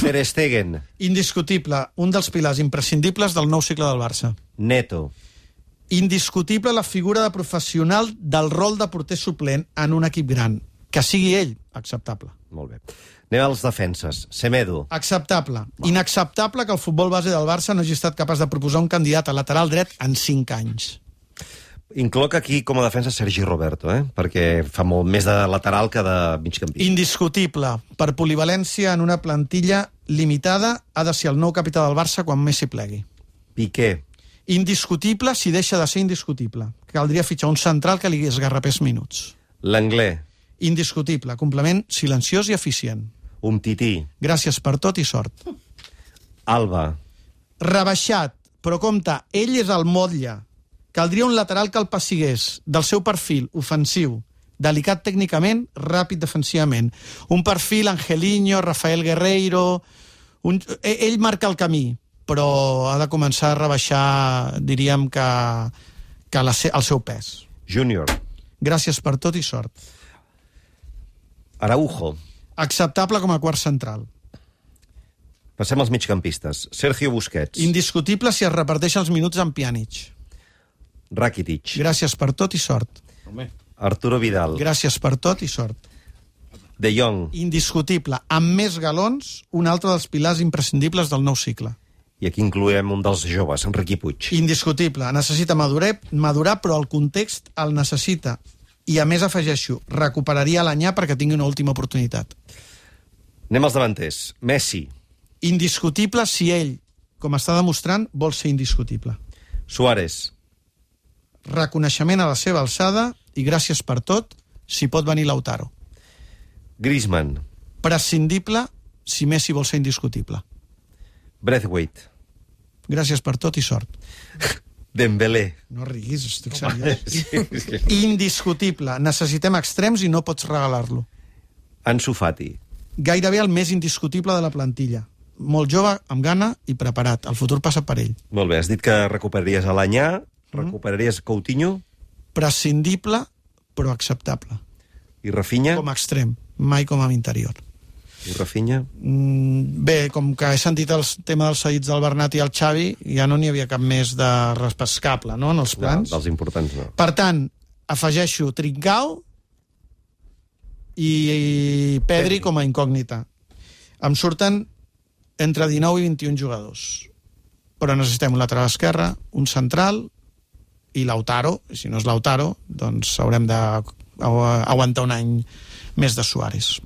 Ter Stegen. Indiscutible, un dels pilars imprescindibles del nou cicle del Barça. Neto. Indiscutible la figura de professional del rol de porter suplent en un equip gran. Que sigui ell, acceptable. Molt bé. Anem als defenses. Semedo. Acceptable. Inacceptable que el futbol base del Barça no hagi estat capaç de proposar un candidat a lateral dret en 5 anys. Incloc aquí com a defensa Sergi Roberto, perquè fa molt més de lateral que de migcampista. Indiscutible. Per polivalència en una plantilla limitada ha de ser el nou capità del Barça quan Messi plegui. Piqué. Indiscutible si deixa de ser indiscutible. Caldria fitxar un central que li esgarrapés minuts. L'Anglès. Indiscutible. Complement silenciós i eficient. Umtiti. Gràcies per tot i sort. Alba. Rebaixat, però compte, ell és el motlle. Caldria un lateral que el pessigués, del seu perfil ofensiu, delicat tècnicament, ràpid defensivament. Un perfil Angelino, Rafael Guerreiro... Ell marca el camí, però ha de començar a rebaixar, diríem que el seu pes. Júnior. Gràcies per tot i sort. Araujo. Acceptable com a quart central. Passem als migcampistes. Sergio Busquets. Indiscutible si es reparteixen els minuts amb Pjanic. Rakitic. Gràcies per tot i sort. Arturo Vidal. Gràcies per tot i sort. De Jong. Indiscutible. Amb més galons, un altre dels pilars imprescindibles del nou cicle. I aquí incloem un dels joves, Enriqui Puig. Indiscutible. Necessita madurar, però el context el necessita. I a més afegeixo, recuperaria l'Anyà perquè tingui una última oportunitat. Anem als davanters. Messi. Indiscutible si ell, com està demostrant, vol ser indiscutible. Suárez. Reconeixement a la seva alçada i gràcies per tot, si pot venir Lautaro. Griezmann. Prescindible si Messi vol ser indiscutible. Braithwaite. Gràcies per tot i sort. Dembélé. No riguis, estic seriós. Indiscutible. Necessitem extrems i no pots regalar-lo. Ansu Fati. Gairebé el més indiscutible de la plantilla. Molt jove, amb gana i preparat. El futur passa per ell. Molt bé, has dit que recuperaries a l'Anyà, recuperaries Coutinho. Prescindible, però acceptable. I Rafinha? Com a extrem, mai com a interior. I Rafinha? Bé, com que he sentit el tema dels seguits del Bernat i el Xavi, ja no n'hi havia cap més de repescable, no?, en els plans. No, dels importants no. Per tant, afegeixo Trincao i Pedri com a incògnita. Em surten entre 19 i 21 jugadors. Però necessitem un lateral esquerre, un central i Lautaro. I si no és Lautaro, doncs haurem d'aguantar un any més de Suárez.